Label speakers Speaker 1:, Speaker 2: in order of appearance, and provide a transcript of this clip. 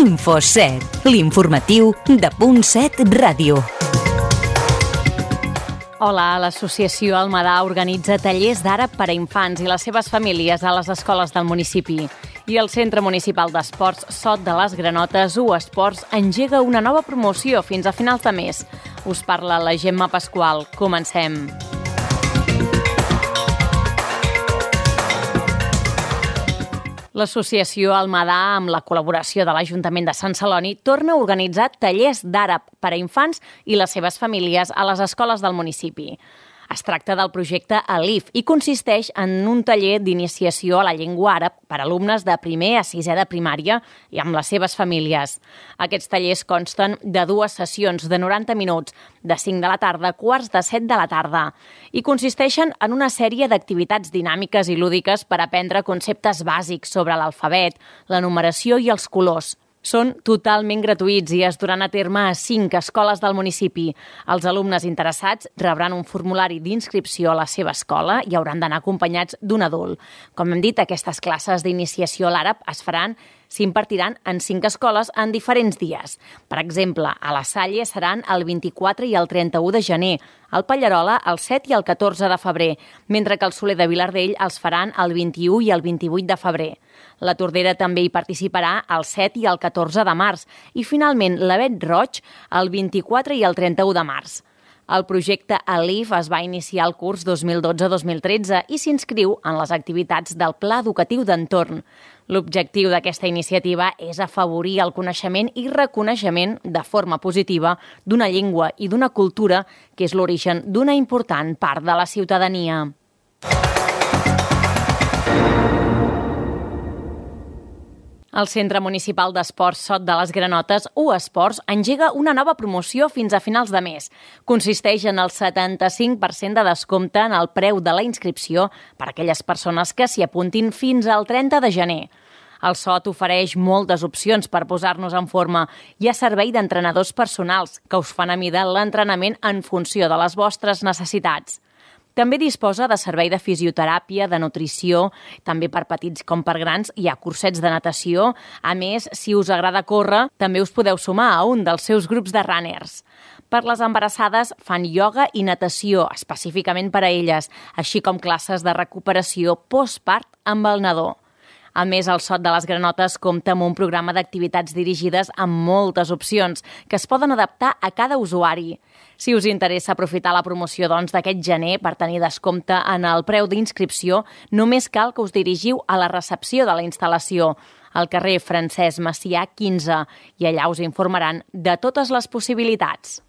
Speaker 1: Info7, l'informatiu de .7 Ràdio.
Speaker 2: Hola, l'associació Almadà organitza tallers d'àrab per a infants i les seves famílies a les escoles del municipi. I el Centre Municipal d'Esports Sot de les Granotes, U-Esports, engega una nova promoció fins a finals de mes. Us parla la Gemma Pasqual. Comencem. L'associació Almadà, amb la col·laboració de l'Ajuntament de Sant Celoni, torna a organitzar tallers d'àrab per a infants i les seves famílies a les escoles del municipi. Es tracta del projecte Alif i consisteix en un taller d'iniciació a la llengua àrab per a alumnes de primer a sisè de primària i amb les seves famílies. Aquests tallers consten de 2 sessions de 90 minuts, de 5 de la tarda a quarts de 7 de la tarda, i consisteixen en una sèrie d'activitats dinàmiques i lúdiques per aprendre conceptes bàsics sobre l'alfabet, la numeració i els colors. Són totalment gratuïts i es duran a terme a 5 escoles del municipi. Els alumnes interessats rebran un formulari d'inscripció a la seva escola i hauran d'anar acompanyats d'un adult. Com hem dit, aquestes classes d'iniciació a l'àrab s'impartiran en 5 escoles en diferents dies. Per exemple, a la Salle seran el 24 i el 31 de gener, al Pallarola el 7 i el 14 de febrer, mentre que al Soler de Vilardell els faran el 21 i el 28 de febrer. La Tordera també hi participarà el 7 i el 14 de març i, finalment, l'Avet Roig el 24 i el 31 de març. El projecte Alif es va iniciar el curs 2012-2013 i s'inscriu en les activitats del Pla Educatiu d'Entorn. L'objectiu d'aquesta iniciativa és afavorir el coneixement i reconeixement de forma positiva d'una llengua i d'una cultura que és l'origen d'una important part de la ciutadania. El Centre Municipal d'Esports Sot de les Granotes, U-Esports, engega una nova promoció fins a finals de mes. Consisteix en el 75% de descompte en el preu de la inscripció per a aquelles persones que s'hi apuntin fins al 30 de gener. El Sot ofereix moltes opcions per posar-nos en forma. Hi ha servei d'entrenadors personals que us fan a mida l'entrenament en funció de les vostres necessitats. També disposa de servei de fisioteràpia, de nutrició, també per petits com per grans, hi ha cursets de natació. A més, si us agrada córrer, també us podeu sumar a un dels seus grups de runners. Per les embarassades fan ioga i natació, específicament per a elles, així com classes de recuperació postpart amb el nadó. A més, el Sot de les Granotes compta amb un programa d'activitats dirigides amb moltes opcions que es poden adaptar a cada usuari. Si us interessa aprofitar la promoció d'aquest gener per tenir descompte en el preu d'inscripció, només cal que us dirigiu a la recepció de la instal·lació, al carrer Francesc Macià 15, i allà us informaran de totes les possibilitats.